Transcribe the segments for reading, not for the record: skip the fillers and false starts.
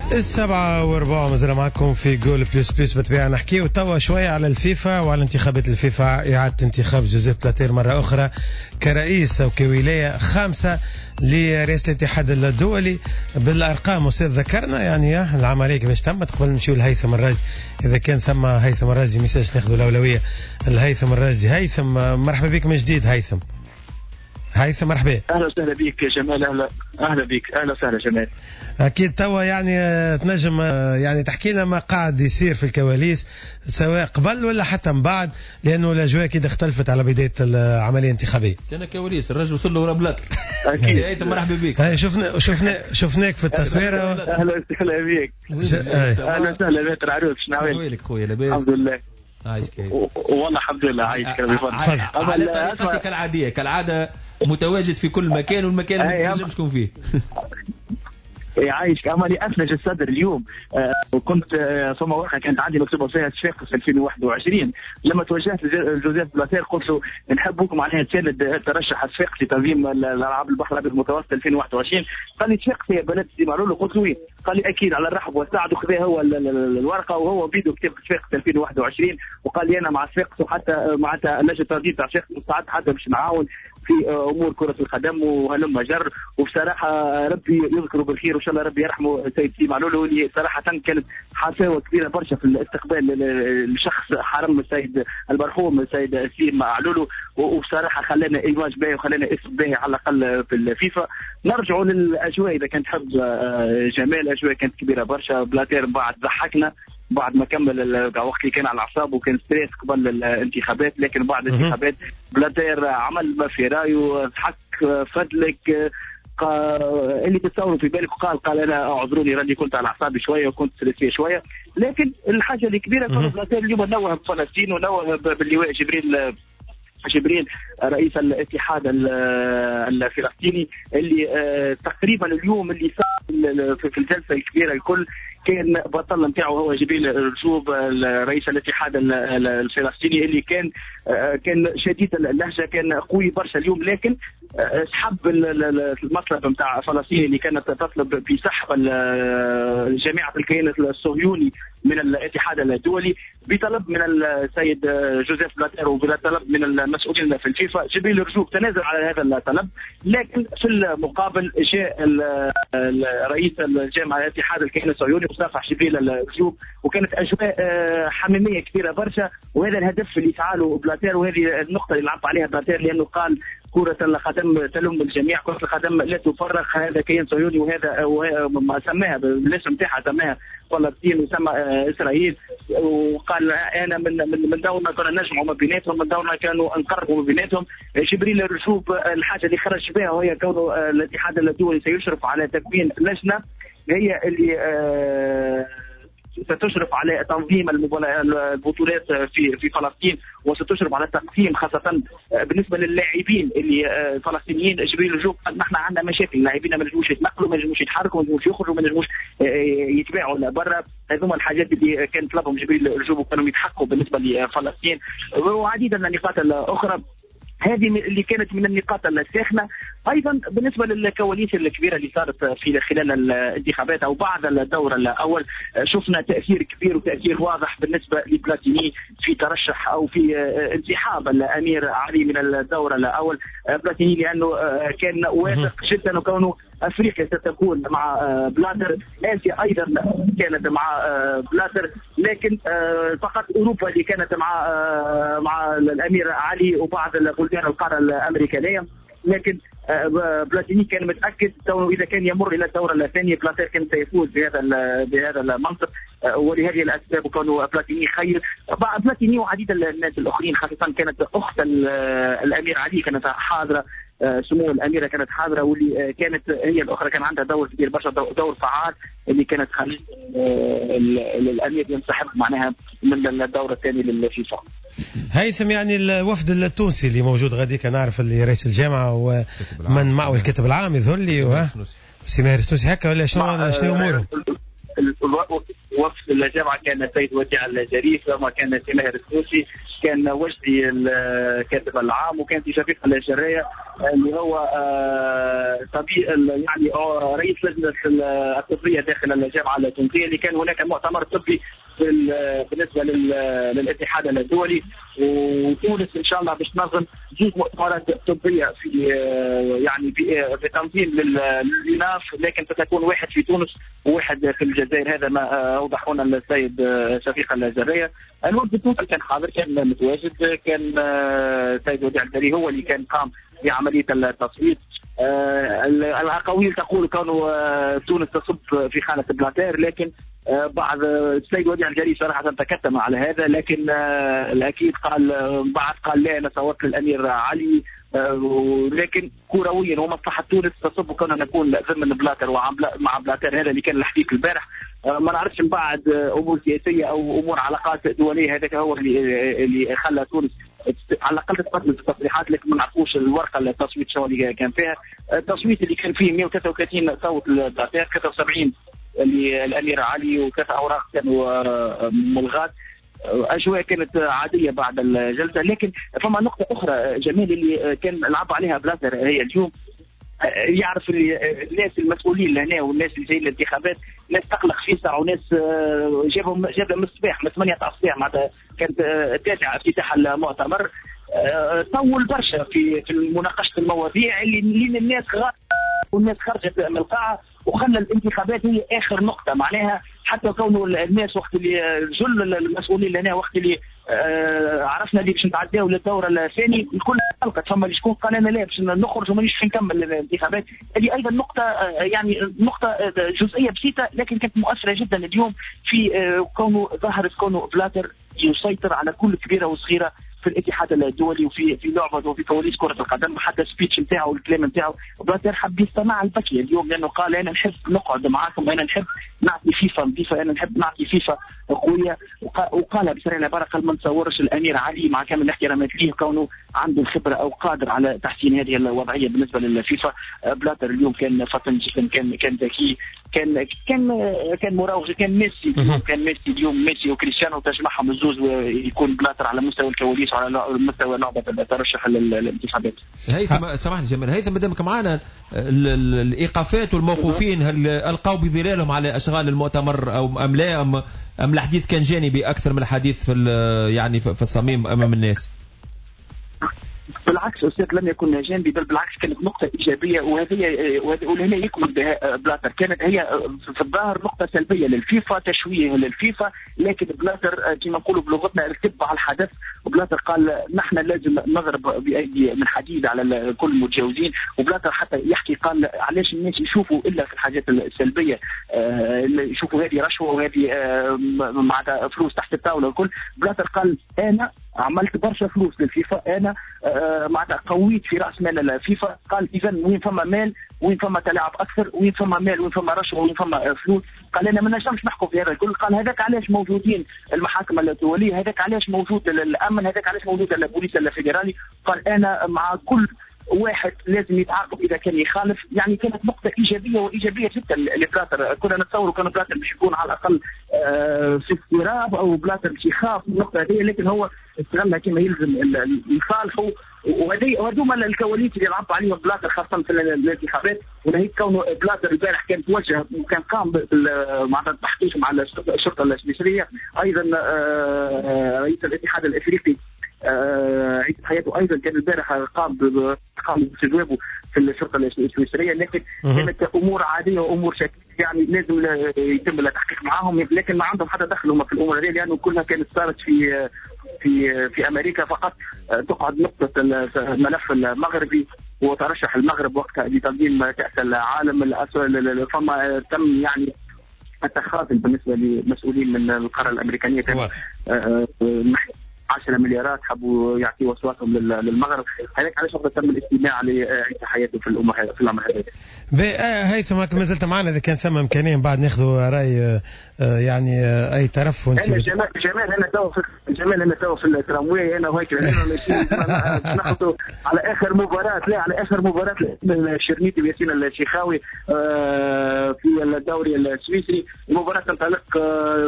7:15 مازال معكم في Goal Plus Plus. بالطبيعة نحكيو توا شوية على الفيفا وعلى انتخابات الفيفا، إعادة انتخاب جوزيف بلاتير مرة أخرى كرئيس أو كولاية خامسة لرئاسة الاتحاد الدولي. بالأرقام أستاذ ذكرنا يعني العملية كيفاش تمت. قبل نمشيو لهيثم الراجي، إذا كان ثم هيثم الراجي message ناخذ الأولوية لهيثم الراجي. هيثم مرحبا بك من جديد. هيثم مرحبا. اهلا وسهلا بك جمال. اهلا بك، اهلا وسهلا جمال. اكيد توا يعني تنجم يعني تحكي لنا ما قاعد يصير في الكواليس سواء قبل ولا حتى من بعد، لانه الاجواء اكيد اختلفت على بداية العملية الانتخابية. كان كواليس الرجل وصل له ورا بلاطر. اكيد هيثم مرحبا بك. شفنا شفنا شفناك في التصوير. اهلا وسهلا بك. اهلا وسهلا بك العروس. شنو احوالك خويا؟ لاباس؟ الحمد لله. والله الحمد لله عايشك. على طريقتك العادية كالعادة متواجد في كل مكان، والمكان اللي ما تنجمش تكون فيه. يعيشك. اما لي اثلج الصدر اليوم، وكنت ثم ورقة كانت عندي مكتوبة فيها صفاقس 2021، لما توجهت لجوزيف بلاتير قلت له نحبوك معناها تساند ترشح صفاقس لتنظيم الالعاب البحر الابيض المتوسط 2021. قال لي صفاقس هي بلد سي معلول. قلت له وين؟ قال لي اكيد على الرحب والسعد. وخذا هو الورقة وهو بيدو كتب صفاقس 2021، وقال لي انا مع صفاقس، وحتى معناتها لجنة التنظيم تاع صفاقس مستعد حتى باش نعاون في امور كره القدم وهلم جر. وبصراحة ربي يذكره بالخير وان شاء الله ربي يرحمه سيد سي معلول، واللي صراحة كانت حفاوه كبيرة برشا في الاستقبال لشخص حرم السيد المرحوم السيد سي معلول، وبصراحة خلانا image باهي وخلانا اسم باهي على الاقل في الفيفا. نرجعوا للاجواء اذا كانت تحب جمال، الاجواء كانت كبيرة برشا. بلاتير بعد ضحكنا بعد ما كمل وقت اللي كان على اعصابه وكان stress قبل الانتخابات، لكن بعد الانتخابات بلاتير عمل ما في رايه، ضحك فدلك اللي تتصوروا في بالك، وقال قال انا اعذروني راني كنت على اعصابي شوية وكنت stressé شوية. لكن الحاجة الكبيرة كان بلاتير اليوم نوه بفلسطين ونوه باللواء جبريل رئيس الاتحاد الفلسطيني، اللي تقريبا اليوم اللي صار في الجلسة الكبيرة الكل كان بطل نتاعو هو جبريل رجوب رئيس الاتحاد الفلسطيني، اللي كان شديد اللهجة، كان قوي برشا اليوم، لكن سحب المطلب نتاع فلسطين اللي كانت تطلب بسحب جامعه الكيان الصهيوني من الاتحاد الدولي بطلب من السيد جوزيف بلاتير وبطلب من المسؤولين في الفيفا. جبريل رجوب تنازل على هذا الطلب، لكن في المقابل جاء رئيس الجامعة الاتحاد الكيان الصهيوني وصافح جبريل رجوب، وكانت اجواء حميمية كبيرة برشا. وهذا الهدف اللي فعله بلاتير، وهذه النقطة اللي لعب عليها بلاتير، لانه قال كرة القدم تلم الجميع، كرة القدم لا تفرق، هذا كيان صهيوني وهذا سماها بالاسم تاعها، سماها فلسطين وسمى اسرائيل، وقال انا من دورنا كنا نجمعوا ما بيناتهم، من دورنا كانوا نقربوا ما بيناتهم. جبريل رجوب الحاجة اللي خرج بها وهي كونه الاتحاد الدولي سيشرف على تكوين لجنة هي اللي ستشرف على تنظيم البطولات في فلسطين، وستشرف على التقسيم خاصة بالنسبة للاعبين اللي الفلسطينيين. جبريل رجوب قال نحن عندنا مشاكل، اللاعبين ما نجموش يتنقلوا، ما نجموش يتحركوا، ما نجموش يخرجوا، ما نجموش يتباعوا لبرا. هذوما الحاجات اللي كان طلبهم جبريل رجوب وكانوا يتحققوا بالنسبة لفلسطين، وعديد من النقاط الأخرى. هذه اللي كانت من النقاط الساخنة. أيضا بالنسبة للكواليس الكبيرة اللي صارت في خلال الانتخابات أو بعد الدور الأول، شفنا تأثير كبير وتأثير واضح بالنسبة لبلاتيني في ترشح أو في انسحاب الأمير علي من الدور الأول. بلاتيني لأنه كان واثق جدا وكونه أفريقيا ستكون مع بلاتر، آسيا أيضا كانت مع بلاتر، لكن فقط أوروبا اللي كانت مع الأمير علي وبعض البلدان القارة الأمريكانية. لكن بلاتيني كان متأكد إذا كان يمر إلى الدورة الثانية بلاتر كان سيفوز بهذا المنصب، ولهذه الأسباب كانوا بلاتيني خير. بلاتيني وعديد الناس الآخرين، خاصة كانت أخت الأمير علي كانت حاضرة، سمو الأميرة كانت حاضرة، واللي كانت هي الأخرى كان عندها دور كبير برشا، دور فعال اللي كانت خلت الأمير ينسحب معناها من الدورة الثانية للفيفا. هيثم، يعني الوفد التونسي اللي موجود غاديك، نعرف اللي رئيس الجامعة ومن معه الكاتب العام يظهر لي سي ماهر السوسي هكا ولا شنو أموره؟ وفد الجامعة كان السيد وديع الجريف وما كان سي ماهر السوسي، كان وجدي الكاتب العام، وكان في شفيق الجرايه اللي هو طبيب يعني رئيس لجنة الطبية داخل الجامعة التونسية، اللي كان هناك مؤتمر طبي بالنسبة للاتحاد الدولي. وتونس ان شاء الله باش تنظم زوج مؤتمرات طبية في يعني بتنظيم لليوناف، لكن ستكون واحد في تونس وواحد في الجزائر. هذا ما اوضحه لنا السيد شفيق الجرايه. الوفد التونسي كان حاضر، كان متواجد، كان السيد وديع الجري هو اللي كان قام بعملية التصويت. الاقاويل تقول كانوا تونس تصب في خانه بلاتير، لكن بعض السيد وديع الجري صراحة تكتم على هذا، لكن الاكيد قال بعد قال لا انا صوتت للامير علي، ولكن كرويا ومصلحه تونس تصب كنا نكون ضمن بلاتر ومع بلاتر. هذا اللي كان الحديث البارح. ما نعرفش من بعد امور سياسية او امور علاقات دولية، هذاك هو اللي خلى تونس على الاقل تتقدم في التصريحات، لكن ما نعرفوش الورقة التصويت شو اللي كان فيها. التصويت اللي كان فيه 133 صوت لبلاتر، 73 للامير علي، وثلاث اوراق كانوا ملغات. اجواء كانت عادية بعد الجلسة. لكن فما نقطة اخرى جميل اللي كان لعب عليها بلاتر هي اليوم، يعرف الناس المسؤولين لهنا والناس اللي جايين للانتخابات، ناس تقلق فيسع وناس جابهم من الصباح، من 8 تاع الصباح، معناتها كانت التاسعة افتتاح المؤتمر. طول برشا في مناقشة المواضيع اللي الناس والناس خرجت من القاعة، وخلى الانتخابات هي اخر نقطة. معناها حتى كونه الناس وقت اللي جل المسؤولين لنا وقت اللي عرفنا اللي باش نتعداو للدور الثاني الكل قلقت، فما شكون قال انا لا باش نخرج ومانيش باش نكمل الانتخابات. هذه ايضا نقطة، يعني نقطة جزئية بسيطة لكن كانت مؤثرة جدا اليوم في كونه ظهرت كونه بلاتر يسيطر على كل كبيرة وصغيره في الاتحاد الدولي وفي في لعبه وفي كواليس كره القدم. حتى speech نتاعو والكلام نتاعو بلاتر حب يستمع البكي اليوم، لانه قال انا نحب نقعد معاكم، انا نحب نعطي فيفا نظيفة، انا نحب نعطي فيفا قوية. وقال بصريح العبارة قال ما نتصورش الامير علي مع كامل الاحترامات ليه كونه عنده الخبرة او قادر على تحسين هذه الوضعية بالنسبة للفيفا. بلاتر اليوم كان فطن جدا، كان ذكي، كان كان كان مراوغ، كان ميسي اليوم، كان ميسي اليوم، ميسي وكريستيانو تجمعهم الزوز ويكون بلاتر على مستوى الكواليس وعلى مستوى لعبه الترشح للانتخابات. هيثم سامحني جمال، هيثم مادامك معنا، الايقافات والموقوفين هل القوا بظلالهم على اشغال المؤتمر او ام لا، ام الحديث كان جانبي اكثر من الحديث في يعني في الصميم امام الناس؟ بالعكس أستاذ، لم يكن جانبي، بل بالعكس كانت نقطة إيجابية، وهذه ولهنا يكمل بها بلاتر. كانت هي في الظاهر نقطة سلبية للفيفا، تشويه للفيفا، لكن بلاتر كما نقولوا بلغتنا ارتب على الحدث. وبلاتر قال نحن لازم نضرب بأيدي من حديد على كل المتجاوزين. وبلاتر حتى يحكي قال علاش الناس يشوفوا إلا في الحاجات السلبية، يشوفوا هذه رشوة وهذه معناتها فلوس تحت الطاولة والكل. بلاتر قال أنا عملت برشا فلوس للفيفا، أنا معناتها قويت في راس مال الفيفا. قال اذا وين فما مال وين فما تلاعب اكثر، وين فما مال وين فما رشوة وين فما فلوس. قال انا ما نجمش نحكم في هذا الكل. قال هذاك علاش موجودين المحاكم الدولية، هذاك علاش موجود الامن، هذاك علاش موجود البوليس الفيدرالي. قال انا مع كل واحد لازم يتعاقب اذا كان يخالف. يعني كانت نقطة ايجابية وايجابية جدا لبلاتر. كنا نتصوروا كان بلاتر باش يكون على الاقل في اضطراب او بلاتر باش يخاف من النقطة هذه، لكن هو استغلها كما يلزم لصالحه. وهذوما الكواليس اللي لعب عليهم بلاتر خاصة في الانتخابات. وناهيك كونه بلاتر البارح كان توجه وكان قام مع التحقيق مع الشرطة السويسريه. ايضا رئيس الاتحاد الافريقي عيسى حياته ايضا كان البارح قام باستجوابه في الشرطة السويسريه. لكن كانت امور عادية وامور شكلية، يعني لازم يتم التحقيق معاهم، لكن ما عندهم حتى دخل هم في الامور هذه، لانه كلها كانت صارت في في في امريكا. فقط تقعد نقطة الملف المغربي وترشح المغرب وقتها لتنظيم كاس العالم. فما تم يعني التخاذل بالنسبة لمسؤولين من القارة الامريكانيه، كان 10 مليارات حبوا يعطيوا اصواتهم للمغرب. هذاك علاش وقت تم الاستماع لعيسى حياته في الامر هذا. هيثم ما زلت معنا، اذا كان ثم امكانية من بعد ناخذوا راي يعني اي طرف. وانت جمال انا تو جمال انا تو في الترامواي انا وهيك ناخذوا على اخر مباراة، لا على اخر مباراة الشرنيتي وياسين الشيخاوي في الدوري السويسري. المباراة تنطلق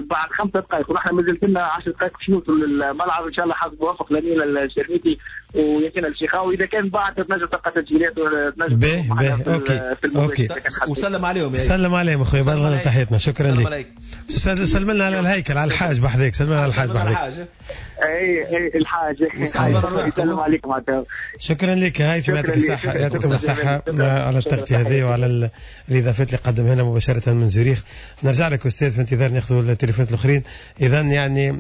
بعد 5 دقائق ونحن مازلت لنا 10 دقائق باش نوصلوا للملعب. وان شاء الله حظ موفق لنيل الشرميتي وياسين الشيخاوي. اذا كان بعد تنجم تلقى تسجيلات تنجم باهي OK وسلم عليهم، سلم عليهم اخويا، بلغنا تحياتنا. شكرا لك. سلم لنا على الهيكل، على الحاج بحذاك، سلم لنا على الحاج بحذاك. اي الحاج يسلم عليكم. شكرا لك هيثم، يعطيك الصحة، يعطيكم الصحة على التغطية هذه وعلى الإضافات اللي قدمها لنا مباشرة من زوريخ. نرجع لك أستاذ في انتظار ناخذ التليفونات الآخرين. إذا يعني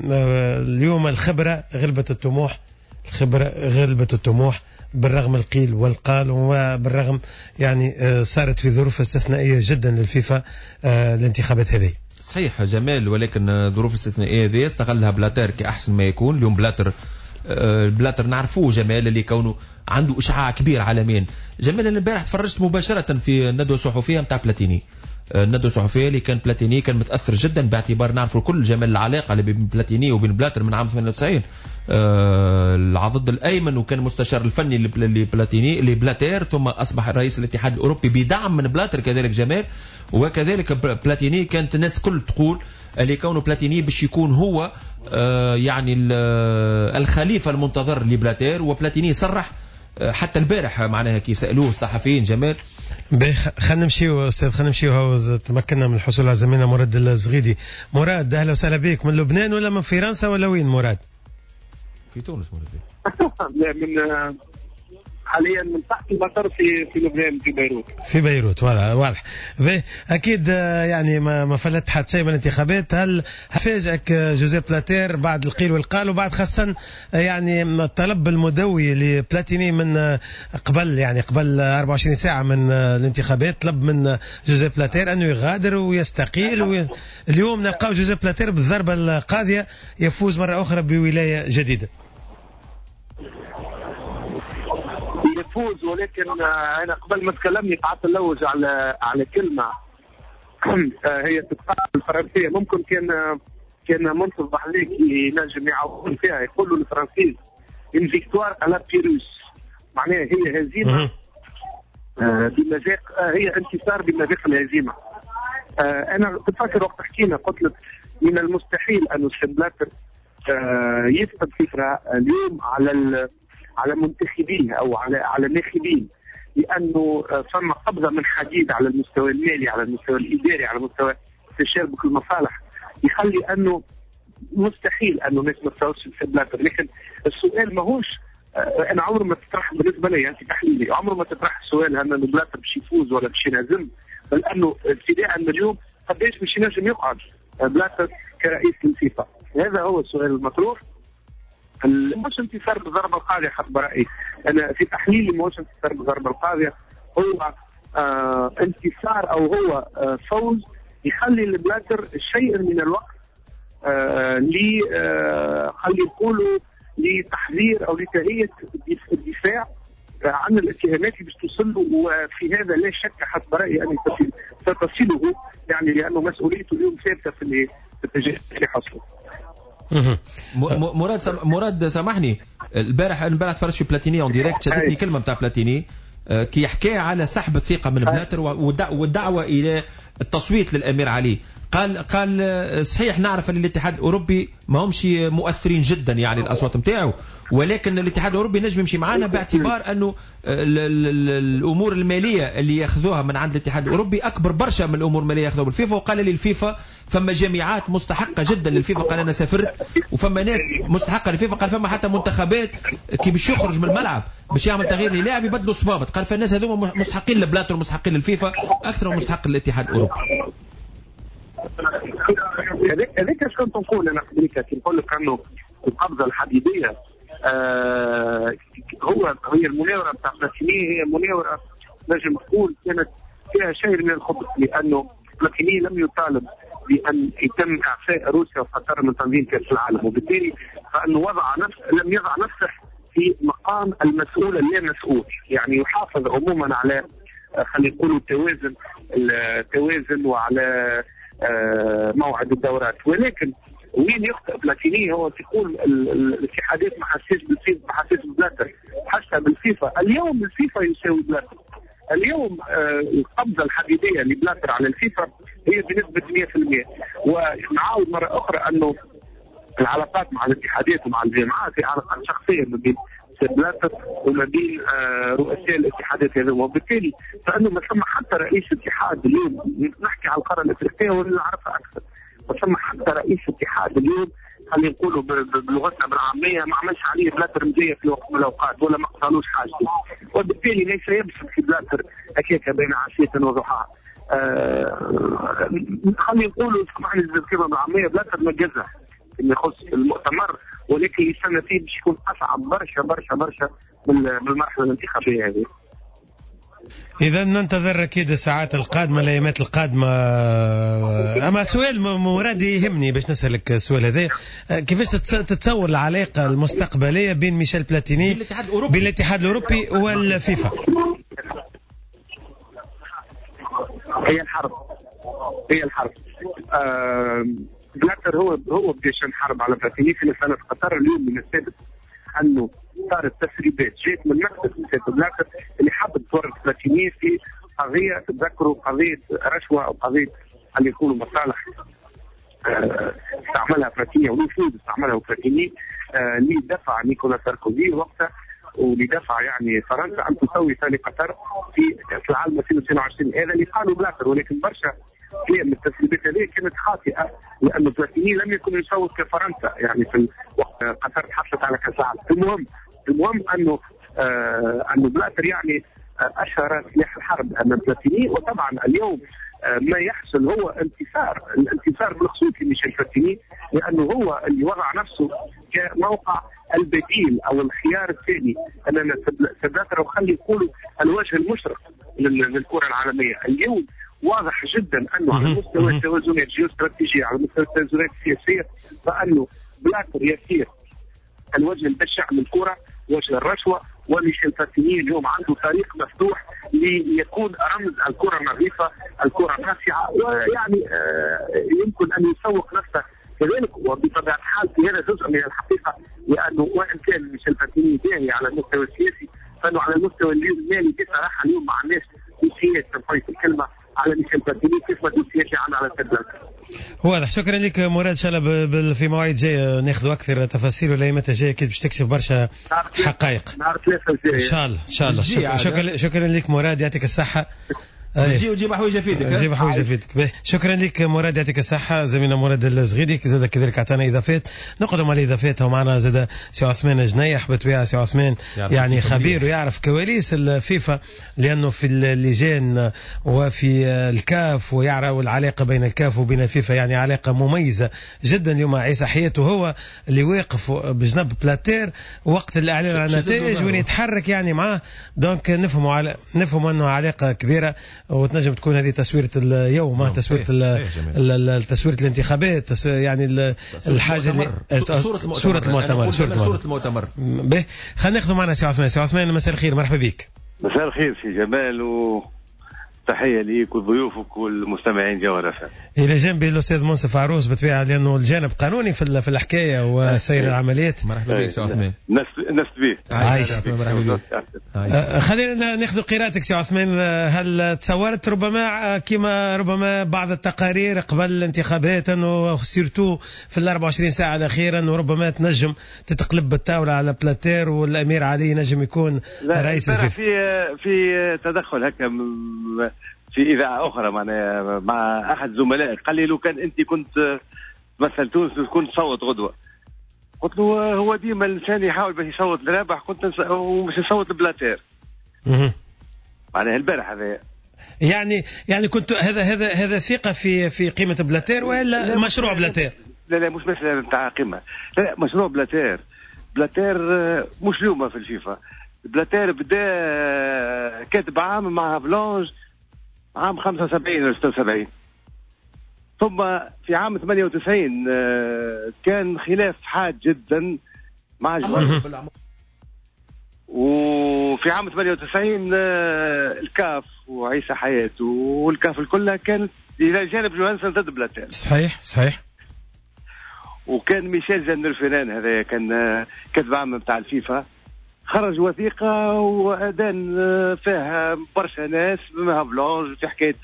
اليوم الخبرة غلبت الطموح، الخبرة غلبت الطموح بالرغم القيل والقال، وبالرغم يعني صارت في ظروف استثنائية جدا للفيفا الانتخابات هذه. صحيح جمال، ولكن ظروف استثنائية هذه استغلها بلاتر كأحسن ما يكون. اليوم بلاتر نعرفوه جمال اللي كونه عنده إشعاع كبير عالميا. جمال أنا البارح تفرجت مباشرة في الندوة الصحفية نتاع بلاتيني، الندوة الصحفية اللي كان بلاتيني كان متأثر جدا باعتبار نعرفوا كل جمال العلاقة اللي بين بلاتيني وبين بلاتر من عام 98، العضد الأيمن وكان مستشار الفني لبلاتيني لبلاتير، ثم أصبح رئيس الاتحاد الأوروبي بدعم من بلاتر كذلك جمال. وكذلك بلاتيني كانت الناس كل تقول اللي كونه بلاتيني باش يكون هو يعني الخليفة المنتظر لبلاتير. وبلاتيني صرح حتى البارح معناها كي سألوه الصحفيين جمال. خلينا نمشيو استاذ، خلينا نمشيو، تمكنا من الحصول على زميلنا مراد الزغيدي. مراد اهلا وسهلا بك، من لبنان ولا من فرنسا ولا وين مراد؟ في تونس مراد. لا، من حاليا من تحت المطار في لبنان، في بيروت. في بيروت، واضح. اكيد يعني ما فلت حتى شيء من الانتخابات. هل فاجئك جوزيف بلاتير بعد القيل والقال، وبعد خاصة يعني الطلب المدوي لبلاتيني من قبل، يعني قبل 24 ساعة من الانتخابات، طلب من جوزيف بلاتير انه يغادر ويستقيل اليوم نلقاو جوزيف بلاتير بالضربة القاضية يفوز مرة أخرى بولاية جديدة. يفوز، ولكن انا قبل ما تكلمني قعدت نلوج على كلمة هي تتقال بالفرنسيه، ممكن كان منصف بحذيك ينجم يعاون فيها. يقولوا الفرنسيس une victoire à la Pyrrhus، معناها هي هزيمة بمذاق، هي انتصار بمذاق الهزيمة. انا تتفكر وقت حكينا قلت لك من المستحيل ان بلاتر يفقد فكرة اليوم على منتخبيه او على ناخبين، لانه فما قبضه من حديد على المستوى المالي، على المستوى الاداري، على مستوى تشابك المصالح، يخلي انه مستحيل انه الناس ما تصوتش لبلاتر. لكن السؤال ماهوش، انا عمره ما تطرح بالنسبة لي يعني في تحليلي، عمره ما تطرح السؤال هل انه بلاتر باش يفوز ولا باش ينهزم، بل انه ابتداء من اليوم قداش باش ينجم يقعد بلاتر كرئيس للفيفا. هذا هو السؤال المطروح. مش انتصار بالضربة القاضية حسب رأيي، أنا في تحليلي مش انتصار بالضربة القاضية، هو انتصار أو هو فوز يخلي البلاتر شيء من الوقت خلي يقولوا لتحذير أو لتهيئة الدفاع عن الاتهامات اللي باش توصل له، وفي هذا لا شك حسب رأيي أن ستصله، يعني لأنه مسؤوليته اليوم ثابتة في الاتجاه اللي حصله. مراد سامحني، البارح تفرجت في بلاتيني en direct، شدتني كلمة نتاع بلاتيني كي حكى على سحب الثقة من بلاتر والدعوة الى التصويت للامير علي. قال صحيح نعرف ان الاتحاد الاوروبي ما همش مؤثرين جدا يعني الاصوات نتاعو، ولكن الاتحاد الاوروبي نجم يمشي معنا باعتبار انه الامور المالية اللي ياخذوها من عند الاتحاد الاوروبي اكبر برشا من الامور المالية ياخذوها بالفيفا. وقال لي الفيفا فما جامعات مستحقه جدا للفيفا، قال انا سافرت وفما ناس مستحقه للفيفا، قال فما حتى منتخبات كي باش يخرج من الملعب باش يعمل تغيير للاعب يبدلوا صبابط، قال فالناس هذوما مستحقين لبلاتر ومستحقين للفيفا اكثر من مستحق للاتحاد الاوروبي. هذاك اش كنت نقول انا قبلك، كي نقول لك انه القبضة الحديدية هي المناوره نتاع بلاتيني، هي مناوره نجم نقول كانت فيها شيء من الخبث، لانه بلاتيني لم يطالب بان يتم اعفاء روسيا وقطر من تنظيم كاس العالم، وبالتالي فانه لم يضع نفسه في مقام المسؤول اللامسؤول، يعني يحافظ عموما على خلينا نقولوا التوازن وعلى موعد الدورات. ولكن وين يخطئ بلاتيني هو تقول الاتحادات ما حسيش بالفيفا، ما حسيش ببلاتر، حسها بالفيفا. اليوم الفيفا يساوي بلاتر، اليوم القبضة الحديدية لبلاتر على الفيفا هي بنسبة 100%. ونعاود مرة أخرى أنه العلاقات مع الاتحادات ومع الجامعات هي علاقات شخصية ما بين بلاتر وما بين رؤساء الاتحادات هذوما، وبالتالي فانه ما ثم حتى رئيس اتحاد اليوم، نحكي على القارة الافريقية واللي نعرفها اكثر، ما ثم حتى رئيس اتحاد اليوم خلينا نقولوا بلغتنا بالعامية ما عملش عليه بلاتر مزية في وقت من الاوقات ولا ما قصالوش حاجته، وبالتالي ليس يبسط في بلاتر هكاك بين عشية وضحاها. خلينا نقولوا سامحني الكلمة بالعامية، بلاتر نجزها اللي يخص المؤتمر، ولكن يستنى فيه باش يكون اصعب برشا برشا برشا من المرحلة الانتخابية هذه. إذا ننتظر أكيد الساعات القادمة، الأيامات القادمة. أما سؤال مراد يهمني باش نسألك السؤال هذا، كيفاش تتصور العلاقة المستقبلية بين ميشيل بلاتيني بين الاتحاد الأوروبي والفيفا؟ هي الحرب، هي الحرب. بلاتر هو بدا يشن حرب على بلاتيني في مسألة قطر. اليوم من الثابت انه صارت تسريبات جات من مكتب سيد بلاتر اللي حب تورط بلاتيني في قضية، تتذكروا قضية رشوة او قضية اللي يقولوا مصالح استعملها بلاتيني او نفوذ استعملها بلاتيني لدفع نيكولا ساركوزي وقتها، ولدفع يعني فرنسا ان تسوي ثاني قطر في كاس العالم 2022. هذا اللي قالوا بلاتر، ولكن برشا من التسريبات هذه كانت خاطئه، لأن بلاتيني لم يكن يصوت كفرنسا يعني في وقت قطر حصلت على كاس العالم. المهم انه انه بلاتر يعني اشهر سلاح الحرب امام بلاتيني. وطبعا اليوم ما يحصل هو انتصار، الانتصار بالخصوص لميشيل بلاتيني، لانه هو اللي وضع نفسه كموقع البديل او الخيار الثاني امام بلاتر، وخلي يقولوا الوجه المشرق للكرة العالمية. اليوم واضح جدا انه على مستوى التوازنات الجيوستراتيجيه، على مستوى التوازنات السياسية، فانه بلاتر يسير الوجه البشع للكرة، وجه الرشوة، وميشيل بلاتيني اليوم عنده طريق مفتوح ليكون رمز الكره النظيفة، الكره الناصعه، ويعني يمكن ان يسوق نفسه كذلك. وبطبيعة الحال في هذا جزء من الحقيقة، لانه وان كان ميشيل بلاتيني باهي على المستوى السياسي، فانه على المستوى المالي بصراحة اليوم ما عندناش دوسيات تنفيذ الكلمة على ميشيل بلاتيني كيف ما دوسيات اللي عندنا على سيد بلاتر. واضح. شكرا لك مراد، ان شاء الله في مواعيد جاية ناخذ اكثر تفاصيل، والايامات الجاية اكيد باش تكشف برشا حقائق. نهار 3 الجاي ان شاء الله. ان شاء الله. شكرا لك مراد، يعطيك الصحة. جي وجيب حوايج فيدك، جيب حوايج فيدك. شكرا لك مراد، يعطيك الصحة. زميلنا مراد الزغيدي زاد كذلك اعطانا اضافات، نقدم على اضافات. ومعنا زاد سي عثمان جنيح، بالطبيعة سي عثمان يعني خبير ويعرف كواليس الفيفا، لانه في اللجان وفي الكاف، ويعرف العلاقة بين الكاف وبين الفيفا، يعني علاقة مميزة جدا. اليوم عيسى حياته هو اللي واقف بجنب بلاتير وقت الاعلان عن النتائج وين يتحرك يعني معاه، donc نفهموا انه علاقة كبيرة، وتنجم تكون هذه تصويرة اليوم، تصويرة تصويرة الانتخابات، يعني الحاجة اللي صورة المؤتمر. صورة المؤتمر. به خلينا ناخذ معنا سي عثمان. سي عثمان مساء الخير، مرحبا بك. مساء الخير سي جمال، وتحية ليك وضيوفك والمستمعين جوهرة. إلى جنبي الأستاذ منصف عروس، بالطبيعة لأنه الجانب قانوني في الحكاية وسير العمليات. مرحبا بك سي عثمان. نست بك. عايش. مرحبا بك. خلينا ناخذ قراءتك سي عثمان، هل تصورت ربما كما ربما بعض التقارير قبل الانتخابات أنه surtout في ال 24 ساعة الأخيرة أنه ربما تنجم تتقلب بالطاولة على بلاتير والأمير علي نجم يكون رئيس الفيفا؟ في تدخل هكا في إذاعة أخرى مع أحد زملائي، قال لي لو كان أنت كنت تمثل تونس كنت تصوت غدوة. قلت له هو ديما الإنسان يحاول باش يصوت لرابح، كنت ومش يصوت لبلاتير. معناها البارح هذا يعني كنت هذا ثقة في قيمة بلاتير ولا مشروع بلاتير؟ لا مش مسألة نتاع قيمة، لا مشروع بلاتير. بلاتير مش اليوم في الفيفا، بلاتير بدا كاتب عام مع هافلونج عام 75 ولا 76، ثم في عام 98 كان خلاف حاد جدا مع جوهر، وفي عام 98 الكاف وعيسى حياته والكاف الكلها كانت الى جانب جوهانسون ضد بلاتير. صحيح. وكان ميشيل جندرفينان هذا كان كاتب عام بتاع الفيفا، خرج وثيقة وأدان فيها برشا ناس بما هافلونج في حكاية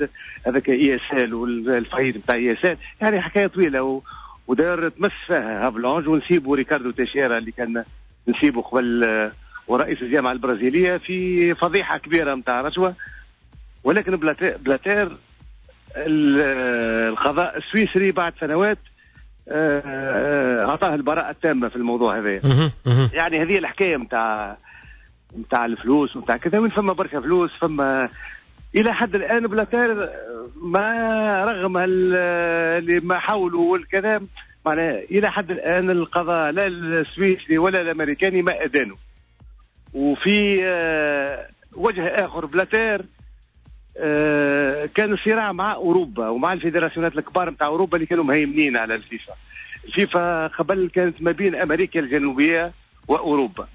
هذاك ESL وال faillite بتاع ESL، يعني حكاية طويلة ودار تمس فيها هافلانج ونسيبو ريكاردو تيشيرا اللي كان نسيبه قبل ورئيس الجامعة البرازيليه في فضيحة كبيرة نتاع رشوة. ولكن بلاتير القضاء السويسري بعد سنوات اعطاه البراءة التامة في الموضوع هذا. يعني هذه الحكاية نتاع الفلوس ونتاع كذا، وين فما برشا فلوس فما الى حد الان بلاتير ما رغم اللي ما حاولوا والكلام، معناها الى حد الان القضاء لا السويسري ولا الامريكاني ما ادانوا. وفي وجه اخر بلاتير كان الصراع مع اوروبا ومع الفيدراسيونات الكبار نتاع اوروبا اللي كانوا مهيمنين على الفيفا. الفيفا قبل كانت ما بين امريكا الجنوبية واوروبا،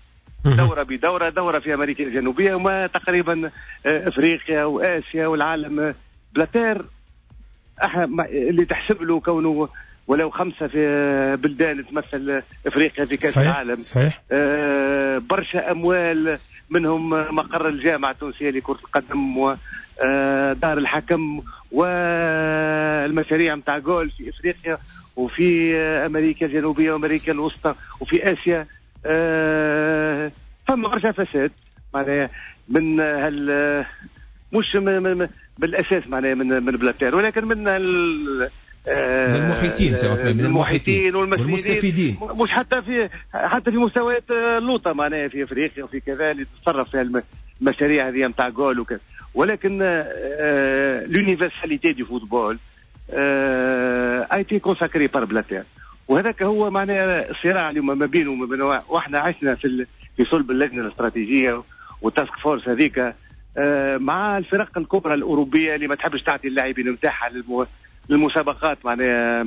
دوره بدوره، دوره في امريكا الجنوبية وما تقريبا افريقيا واسيا والعالم. بلاتير اللي تحسب له كونه ولو 5 في بلدان تمثل افريقيا في كاس العالم. صحيح. برشا اموال، منهم مقر الجامعة التونسية لكرة القدم ودار الحكم والمشاريع نتاع جول في افريقيا وفي امريكا الجنوبية وامريكا الوسطى وفي اسيا. فما برشا فساد معناها من هال مش من بالاساس معناها من بلاتير، ولكن من المحيطين، من المحيطين والمستفيدين، مش حتى في مستويات اللوطه معناها في افريقيا وفي كذا اللي تتصرف في المشاريع هذه نتاع جول وكذا. ولكن l'universalité du football a été consacrée par بلاتير، وهذاك هو معناها الصراع اليوم ما بينه وما بين، واحنا عشنا في صلب اللجنة الاستراتيجية وال task force هذيك مع الفرق الكبرى الاوروبية اللي ما تحبش تعطي اللاعبين نتاعها للمسابقات معناها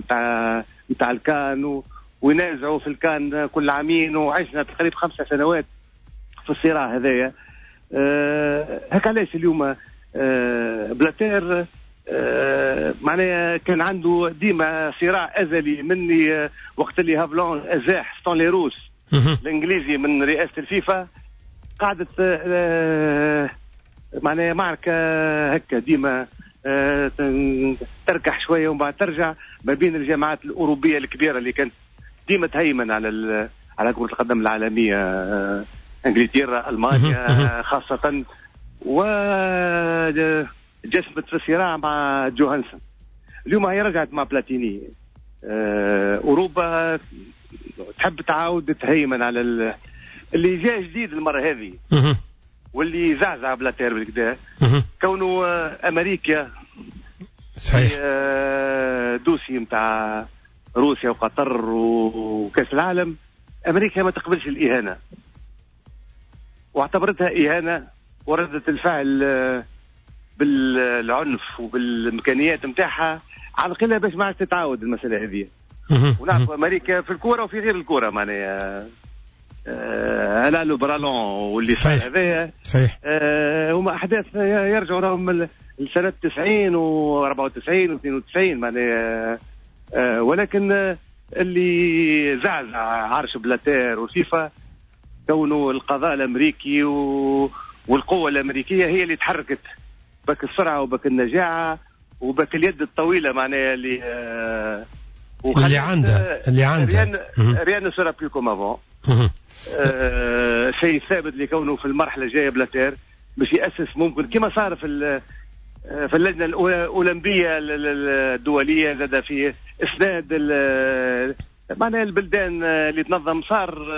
نتاع الكان، وينازعوا في الكان كل عامين، وعشنا تقريبا 5 سنوات في الصراع هذايا. هكا علاش اليوم بلاتير معناها كان عنده ديما صراع ازلي مني وقت اللي هافلون ازاح ستانلي روس الانجليزي من رئاسة الفيفا، قعدت معناها معركة هكا ديما تركح شوية ومن بعد ترجع ما بين الجامعات الاوروبية الكبيرة اللي كانت ديما تهيمن على على كره القدم العالمية، انجلترا، المانيا خاصة، و جسمت في الصراع مع جوهانسون. اليوم هي رجعت مع بلاتيني. اوروبا تحب تعاود تهيمن على اللي جاء جديد المرة هذه واللي زعزع بلاتير بالكدا، كونه امريكا صحيح dossier نتاع روسيا وقطر وكاس العالم. امريكا ما تقبلش الاهانة واعتبرتها اهانه، وردت الفعل بالعنف وبالامكانيات نتاعها على القلة باش ما عادش تتعاود المسالة هذه. ونعرف امريكا في الكورة وفي غير الكورة معناها لا le bras long واللي صار هذايا صحيح. هما احداث يرجعوا لهم لسنه 90 و94 و92 معناها. ولكن اللي زعزع عرش بلاتير وفيفا كونه القضاء الامريكي والقوه الامريكية هي اللي تحركت بك السرعة وبك النجاعه وبك اليد الطويلة معناها اللي عندها rien ne sera plus comme avant. شيء ثابت لكونه في المرحلة الجاية بلاتير باش ياسس ممكن كما صار في اللجنة الاولمبية الدولية، زاد في اسناد معناها البلدان اللي تنظم، صار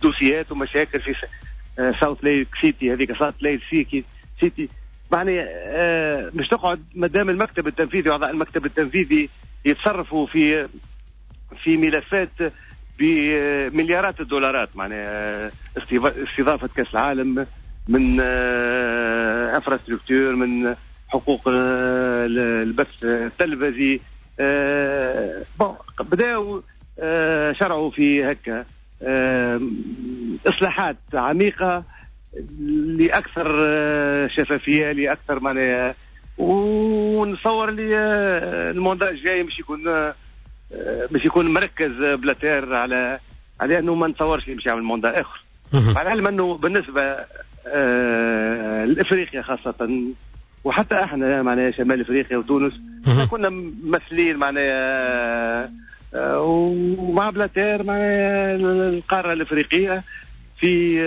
دوسيات ومشاكل في ساوث ليك سيتي، هذيك ساوث ليك سيتي معناها مش تقعد مادام المكتب التنفيذي واعضاء المكتب التنفيذي يتصرفوا في ملفات بمليارات الدولارات، معناها استضافة كأس العالم من infrastructure، من حقوق البث التلفزي. bon بداوا شرعوا في هكا اصلاحات عميقة لاكثر شفافية، لاكثر معناها، ونصور لي ال mandat الجاي مش يكون مركز بلاتير على انه ما نتصورش مش يعمل mandat اخر. مع العلم انه بالنسبة لافريقيا خاصة، وحتى احنا معناها شمال افريقيا وتونس كنا ممثلين معناها ومع بلاتير مع القارة الافريقية في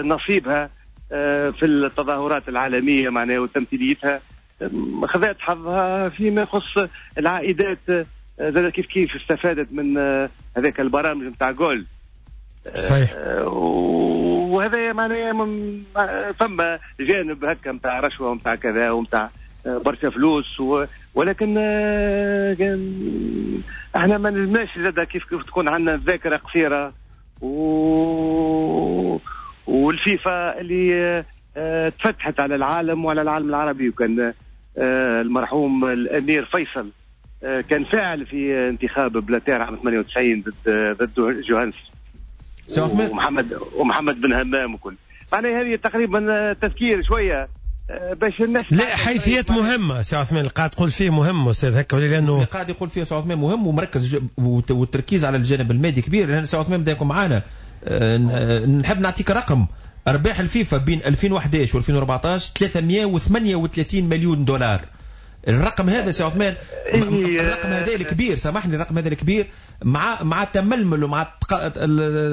نصيبها في التظاهرات العالمية معناها وتمثيليتها خذت حظها. فيما يخص العائدات زاد كيف كيف استفادت من هذاك البرامج نتاع جول. صحيح. وهذا معناها فما جانب هكا نتاع رشوة ونتاع كذا ونتاع برشا فلوس، ولكن احنا ما نلزمناش زاد كيف كيف تكون عندنا ذاكره قصيرة. والفيفا اللي تفتحت على العالم وعلى العالم العربي، وكان المرحوم الامير فيصل كان فاعل في انتخاب بلاتير عام 98 ضد جوهانس ومحمد بن همام وكل. معناها هذه تقريبا تذكير شوية باش الناس. لا، حيثيات مهمة سي عثمان اللي قاعد تقول فيه مهم استاذ هكا، لانه اللي قاعد يقول فيه سي عثمان مهم ومركز والتركيز على الجانب المادي كبير. لان سي عثمان بدا يكون معنا، نحب نعطيك رقم ارباح الفيفا بين 2011 و 2014 338 مليون دولار. الرقم هذا سي عثمان، الرقم هذا الكبير، سامحني، الرقم هذا الكبير مع التململ ومع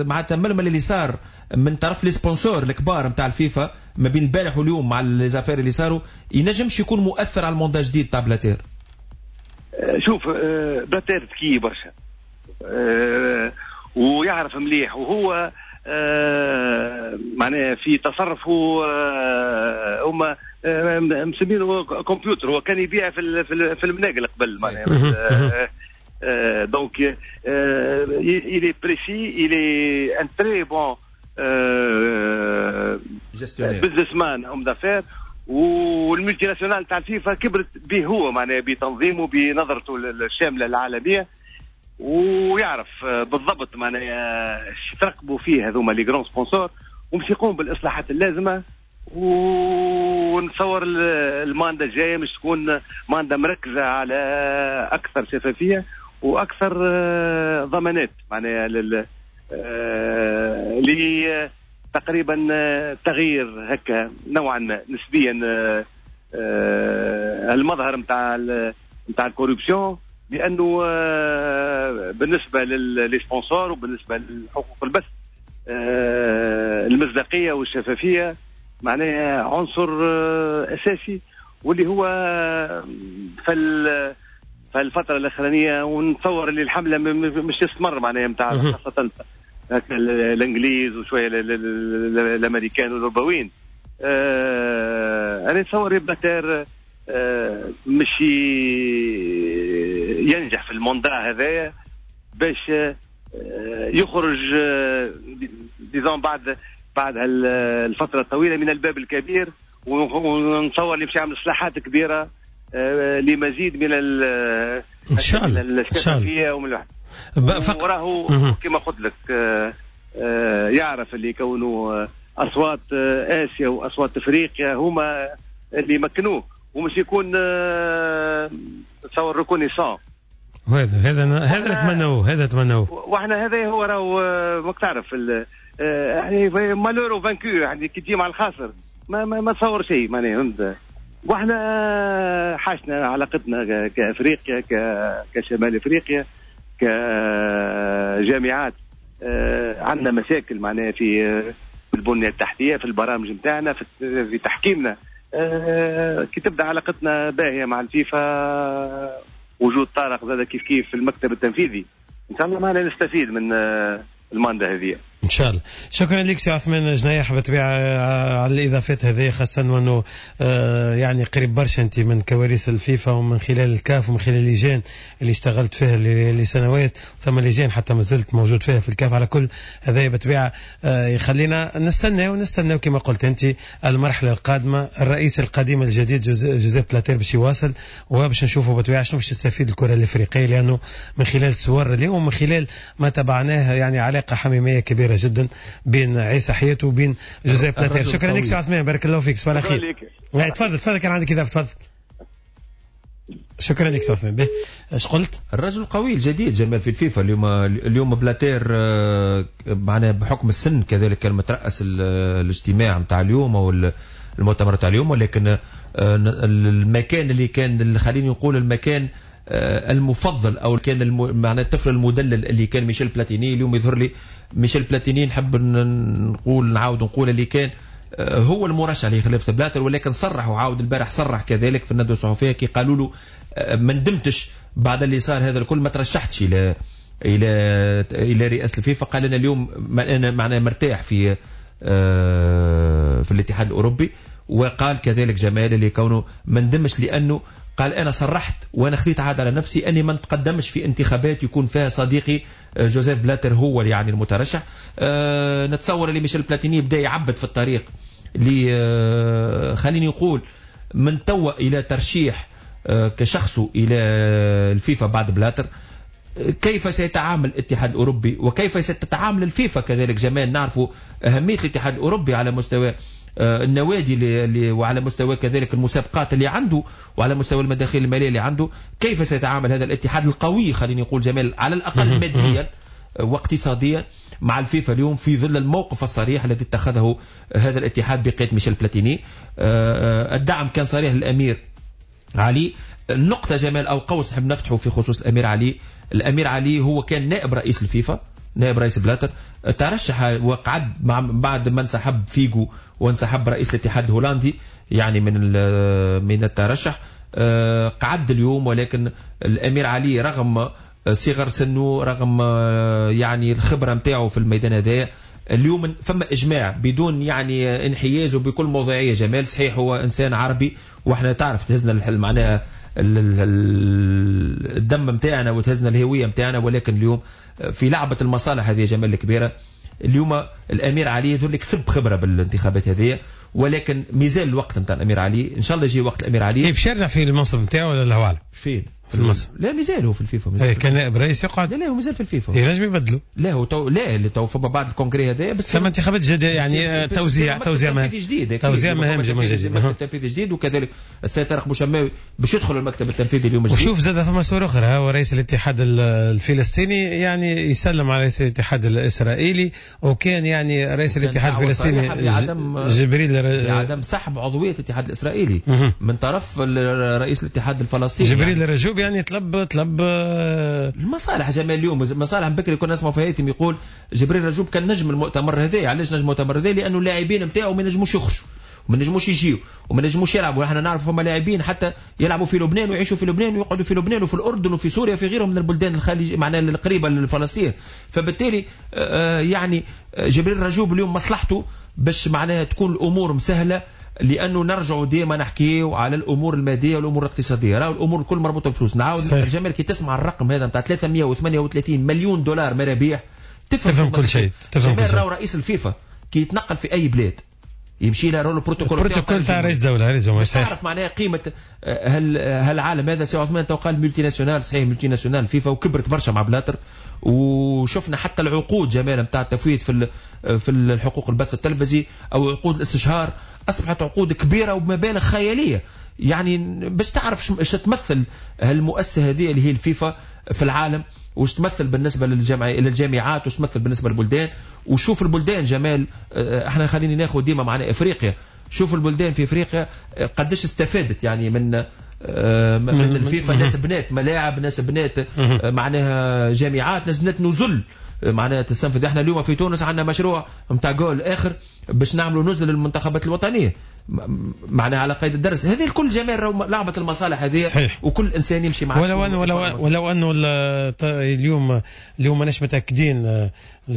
مع التململ اللي صار من طرف les sponsors الكبار نتاع الفيفا ما بين البارح واليوم مع les affaires اللي صاروا، ينجمش يكون مؤثر على ال mandat الجديد تاع بلاتير؟ شوف، بلاتير ذكي برشا ويعرف مليح، وهو معناها في تصرفه هما مسمينه كمبيوتر، هو كان يبيع في المناقل قبل معناها. donc il est précis، il est un très bon businessman، homme d'affaires. وال multinationale تاع الفيفا كبرت به هو، معناها بتنظيمه، بنظرته الشاملة العالميه، ويعرف بالضبط معناها ترقبوا فيه هذوما les grands sponsors، ومش يقوم بالاصلاحات اللازمه. ونتصور ال mandat الجاية مش تكون mandat مركزه على اكثر شفافية واكثر ضمانات معناها لل تقريبا تغيير هكا نوعا ما نسبيا المظهر نتاع ال corruption، لانه بالنسبة ل les sponsors وبالنسبة لحقوق البث المصداقية والشفافيه معناها عنصر اساسي، واللي هو في الفترة الاخرانية ونتصور اللي الحملة مش تستمر معناها نتاع خاصة الانجليز وشوية الامريكان والاوروبيين. انا نتصور بلاتير مش ينجح في ال mandat هذايا باش يخرج disons بعد الفترة الطويلة من الباب الكبير، ونتصور اللي باش يعمل اصلاحات كبيرة لمزيد من ان شاء الله الشفافية ومن الواحد. وراهو كما قلت لك يعرف اللي يكونوا اصوات اسيا واصوات افريقيا هما اللي يمكنوه، ومش يكون تصور reconnaissant. هذا نتمنوه، هذا نتمنوه. واحنا هذا هو راهو ماك تعرف يعني malheur au vaincu، يعني كي تجي مع الخاسر ما تصور شيء معناها، فهمت؟ واحنا حاشنا علاقتنا كافريقيا، كشمال افريقيا، كجامعات، عندنا مشاكل معناها في البنية التحتية، في البرامج نتاعنا، في تحكيمنا. كي تبدا علاقتنا باهيه مع الفيفا، وجود طارق زاد كيف كيف في المكتب التنفيذي، ان شاء الله معنا نستفيد من ال mandat هذه ان شاء الله. شكرا لك سي عثمان جنايح بالطبيعة على الاضافات هذه، خاصة وانه يعني قريب برشا انت من كواليس الفيفا ومن خلال الكاف ومن خلال اللجان اللي اشتغلت فيها لسنوات، ثم لجان حتى ما زلت موجود فيها في الكاف. على كل هذا بالطبيعة يخلينا نستنى ونستنى كما قلت انت المرحلة القادمه، الرئيس القديم الجديد جوزيف بلاتير باش يواصل، وباش نشوفوا بالطبيعة شنو باش تستفيد الكره الافريقية، لانه من خلال الصور اليوم ومن خلال ما تبعناه يعني علاقة حميمية كبيرة جدا بين عيسى حياته وبين جوزيف بلاتير. شكرا لك سي عثمان، بارك الله فيك، صباح الخير. تفضل تفضل، كان عندك اضافه، تفضل. شكرا لك سي عثمان. به ايش قلت؟ الرجل القوي الجديد جمال في الفيفا اليوم بلاتير، معناها بحكم السن كذلك كان مترأس الاجتماع نتاع اليوم او المؤتمر نتاع اليوم، ولكن المكان اللي كان، خليني نقول المكان المفضل او كان معناه الطفل المدلل اللي كان ميشيل بلاتيني. اليوم يظهر لي ميشيل بلاتيني نحب نقول نعاود نقول اللي كان هو المرشح لخلافة بلاتر، ولكن صرح وعاود البارح صرح كذلك في الندوة الصحفية كي قالوا له ما ندمتش بعد اللي صار هذا الكل، ما ترشحتش الى الى الى رئاسة الفيفا. قال انا اليوم انا معناه مرتاح في الاتحاد الاوروبي. وقال كذلك جمال اللي كونه ما ندمش لانه قال انا صرحت وانا خذيت عهد على نفسي اني ما نتقدمش في انتخابات يكون فيها صديقي جوزيف بلاتر هو يعني المترشح. نتصور اللي ميشيل بلاتيني بدا يعبد في الطريق اللي خليني نقول من توا الى ترشيح كشخصه الى الفيفا بعد بلاتر. كيف سيتعامل الاتحاد الاوروبي وكيف ستتعامل الفيفا كذلك جمال؟ نعرفوا اهمية الاتحاد الاوروبي على مستوى النوادي اللي وعلى مستوى كذلك المسابقات اللي عنده وعلى مستوى المداخيل المالية اللي عنده. كيف سيتعامل هذا الاتحاد القوي خليني نقول جمال على الاقل ماديا واقتصاديا مع الفيفا اليوم في ظل الموقف الصريح الذي اتخذه هذا الاتحاد بقيادة ميشيل بلاتيني؟ الدعم كان صريح للامير علي. النقطة جمال أو قوس نحب نفتحه في خصوص الأمير علي. الأمير علي هو كان نائب رئيس الفيفا، نائب رئيس بلاتر، ترشح وقعد مع بعد ما انسحب فيجو وانسحب رئيس الاتحاد الهولندي يعني من الترشح، قعد اليوم. ولكن الأمير علي رغم صغر سنة، رغم يعني الخبرة نتاعو في الميدان هذايا، اليوم فما إجماع بدون يعني انحياز وبكل موضوعية جمال. صحيح هو إنسان عربي واحنا تعرف تهزنا معناها الدم متاعنا وتهزنا الهوية متاعنا، ولكن اليوم في لعبة المصالح هذه جمال الكبيرة، اليوم الأمير علي يقول لك كسب خبرة بالانتخابات هذه، ولكن مازال الوقت نتاع الأمير علي. إن شاء الله يجي وقت الأمير علي. باش يرجع في المنصب نتاعو ولا الله أعلم؟ فين؟ في المنصب. لا مازال هو في الفيفا. كان نائب رئيس يقعد. لا هو مازال في الفيفا. ينجم يبدلوا. لا هو تو لا اللي تو فما بعد ال congrès هذا بس ثم انتخابات جديدة يعني توزيع مهام جديد، توزيع مهام جديد، مكتب تنفيذي جديد، وكذلك السيد طارق بوشماوي باش يدخل المكتب التنفيذي اليوم الجديد. وشوف زاد فما صورة أخرى، هو رئيس الاتحاد الفلسطيني يعني يسلم على رئيس الاتحاد الإسرائيلي، وكان يعني رئيس الاتحاد الفلسطيني جبريل لعدم سحب عضوية الاتحاد الإسرائيلي من طرف رئيس الاتحاد الفلسطيني جبريل الرجوب، يعني طلب المصالح جمال. اليوم مصالح بكري كنا نسمعوا في هيثم يقول جبريل رجوب كان نجم المؤتمر هذا. علاش نجم المؤتمر هذا؟ لانه اللاعبين نتاعو ما نجموش يخرجوا وما نجموش يجيو وما نجموش يلعبوا. احنا نعرف فما لاعبين حتى يلعبوا في لبنان ويعيشوا في لبنان ويقعدوا في لبنان وفي الاردن وفي سوريا وفي غيرهم من البلدان الخليج معناها القريبة لفلسطين. فبالتالي يعني جبريل رجوب اليوم مصلحته باش معناها تكون الامور مسهلة، لانه نرجعوا ديما نحكيو على الامور المادية والامور الاقتصادية. راهو الامور الكل مربوطة بالفلوس. نعاود الجمال كي تسمع الرقم هذا نتاع 338 مليون دولار مرابيح تفهم كل شيء. تفهم كل شيء. راهو رئيس الفيفا كي يتنقل في اي بلاد يمشي له البروتوكول البروتوكول تاع رئيس دولة، رئيس جمهورية. تعرف معناها قيمة هالعالم هذا. سي عثمان تو قال multinationale، صحيح multinationale فيفا وكبرت برشا مع بلاتر، وشفنا حتى العقود جمال نتاع التفويت في الحقوق البث التلفزي او عقود الاستشهار اصبحت عقود كبيرة وبمبالغ خيالية. يعني باش تعرف ايش تمثل هالمؤسسه هذه اللي هي الفيفا في العالم، وش تمثل بالنسبة للجامعات، وش تمثل بالنسبة للبلدان. وشوف البلدان جمال، احنا خليني ناخذ ديما معنا افريقيا، شوف البلدان في افريقيا قداش استفادت يعني من الفيفا. ناس بنات ملاعب، ناس بنات معناها جامعات، ناس بنات نزل معناها تستنفذ. احنا اليوم في تونس عندنا مشروع نتاع جول اخر باش نعملوا نزل للمنتخبات الوطنية معناها على قيد الدرس. هذه الكل جمال لعبه المصالح هذه. صحيح. وكل انسان يمشي مع ولو انه اليوم ماناش متاكدين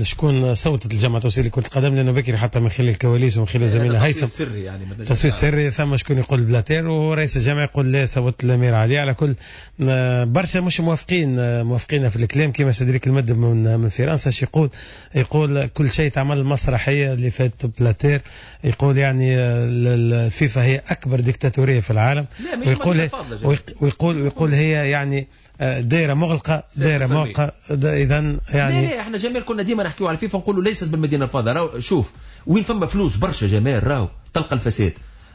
شكون صوتت الجامعة التونسية لكرة القدم، لانه بكري حتى من خلال الكواليس ومن خلال زميلنا هيثم تصويت سري، يعني تصويت سري، ثم شكون يقول بلاتير ورئيس الجامعة يقول لا صوت الامير علي. على كل برشا مش موافقين في الكلام، كما سيدريك المدب من فرنسا يقول، يقول كل شيء تعمل المسرحية اللي فات بلاتير، يقول يعني الفيفا هي اكبر ديكتاتوريه في العالم، ويقول ويقول هي يعني دائرة مغلقة، دائرة مغلقة. اذا يعني لا احنا جمال كنا ديما نحكيو على الفيفا نقولوا ليست بالمدينة الفاضلة. راهو شوف وين فما فلوس برشا جمال راهو تلقى الفساد.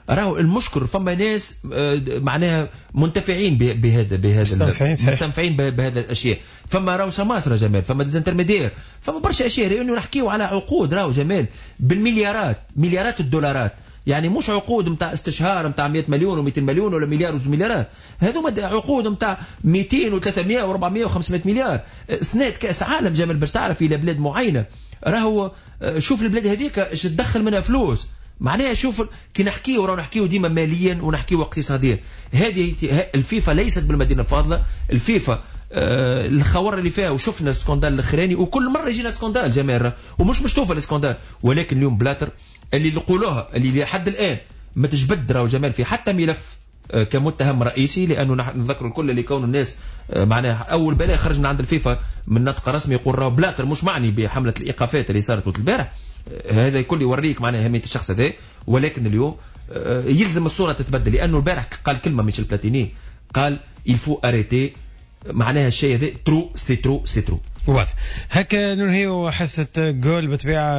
راهو المشكل فما ناس معناها منتفعين بهذا مستنفعين بهذا الاشياء. فما راهو سماسره جمال، فما des intermédiaires، فما برشا اشياء. لانه نحكيو على عقود راهو جمال بالمليارات، مليارات الدولارات. يعني مش عقود نتاع استشهار نتاع 100 مليون و200 مليون ولا مليار وزوج مليارات، هذوما عقود نتاع 200 و300 و400 و500 مليار. سنة كاس عالم جمال باش تعرف الى بلاد معينة، راهو شوف البلاد هذيك اش تدخل منها فلوس. معناها شوف كي نحكيو راهو نحكيو ديما ماليا ونحكيو اقتصاديا. هذه الفيفا ليست بالمدينة الفاضلة، الفيفا الخور اللي فيها، وشفنا ال scandale الاخراني، وكل مرة يجينا scandale جمال، ومش مشتوفه ال scandale. ولكن اليوم بلاتر اللي نقولوها اللي لحد الان ما تجبد راهو جمال في حتى ملف كمتهم رئيسي، لانه نذكر الكل اللي كونوا الناس معناها اول بلاغ خرج من عند الفيفا من نطق رسمي يقول راهو بلاتر مش معني بحمله الايقافات اللي صارت البارح. هذا الكل يوريك معناها اهمية الشخص هذا. ولكن اليوم يلزم الصورة تتبدل، لانه البارح قال كلمة ميشيل بلاتيني، قال il faut arrêter، معناها الشيء هذا trop c'est trop c'est trop. واضح. هكا ننهي حصة جول. بالطبيعة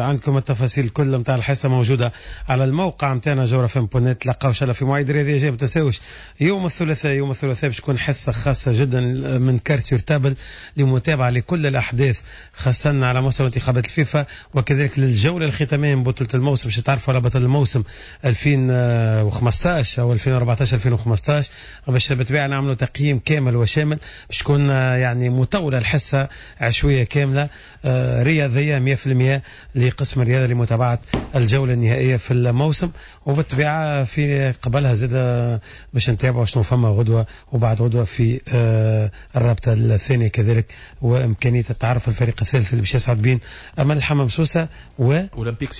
عندكم التفاصيل الكل نتاع الحصة موجودة على الموقع نتاعنا جوهرة اف ام point net. تلقاو ان شاء الله في مواعيد رياضية جاية. ما تنساوش يوم الثلاثاء، يوم الثلاثاء باش تكون حصة خاصة جدا من Cartes sur table لمتابعة لكل الأحداث، خاصة على مستوى انتخابات الفيفا، وكذلك للجولة الختامية من بطولة الموسم باش تعرفوا على بطل الموسم 2015 أو 2014 2015، باش بالطبيعة نعملوا تقييم كامل وشامل. باش تكون يعني مطولة الحصة، عشوية كاملة رياضية 100% لقسم الرياضة لمتابعة الجولة النهائية في الموسم، وبالطبيعة في قبلها زاد باش نتابعوا شنو فما غدوة وبعد غدوة في الرابطة الثانية كذلك، وإمكانية التعرف الفريق الثالث اللي باش يصعد بين أمل الحمام سوسة و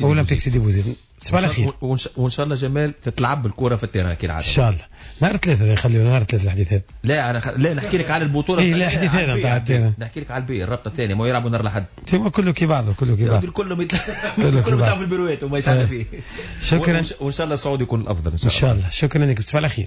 أولمبيك سيدي بوزيد. تصبح على خير، وان شاء الله جمال تتلعب الكره في ال terrain كالعادة ان شاء الله. نهار ثلاثة خلينا نهار ثلاثة الحديث هذا. لا انا لا نحكي لك على البطولة. اي لا الحديث هذا نتاع ال terrain، نحكي لك على ال B الرابطة الثانية، ما يلعبوا نهار الاحد. تما كله كي بعضه، كله كي بعضه، كلهم كلهم يلعبوا في البيروات وما يشعل فيه. شكرا، وان شاء الله الصعود يكون الافضل ان شاء الله. شكرا لك، تصبح على خير.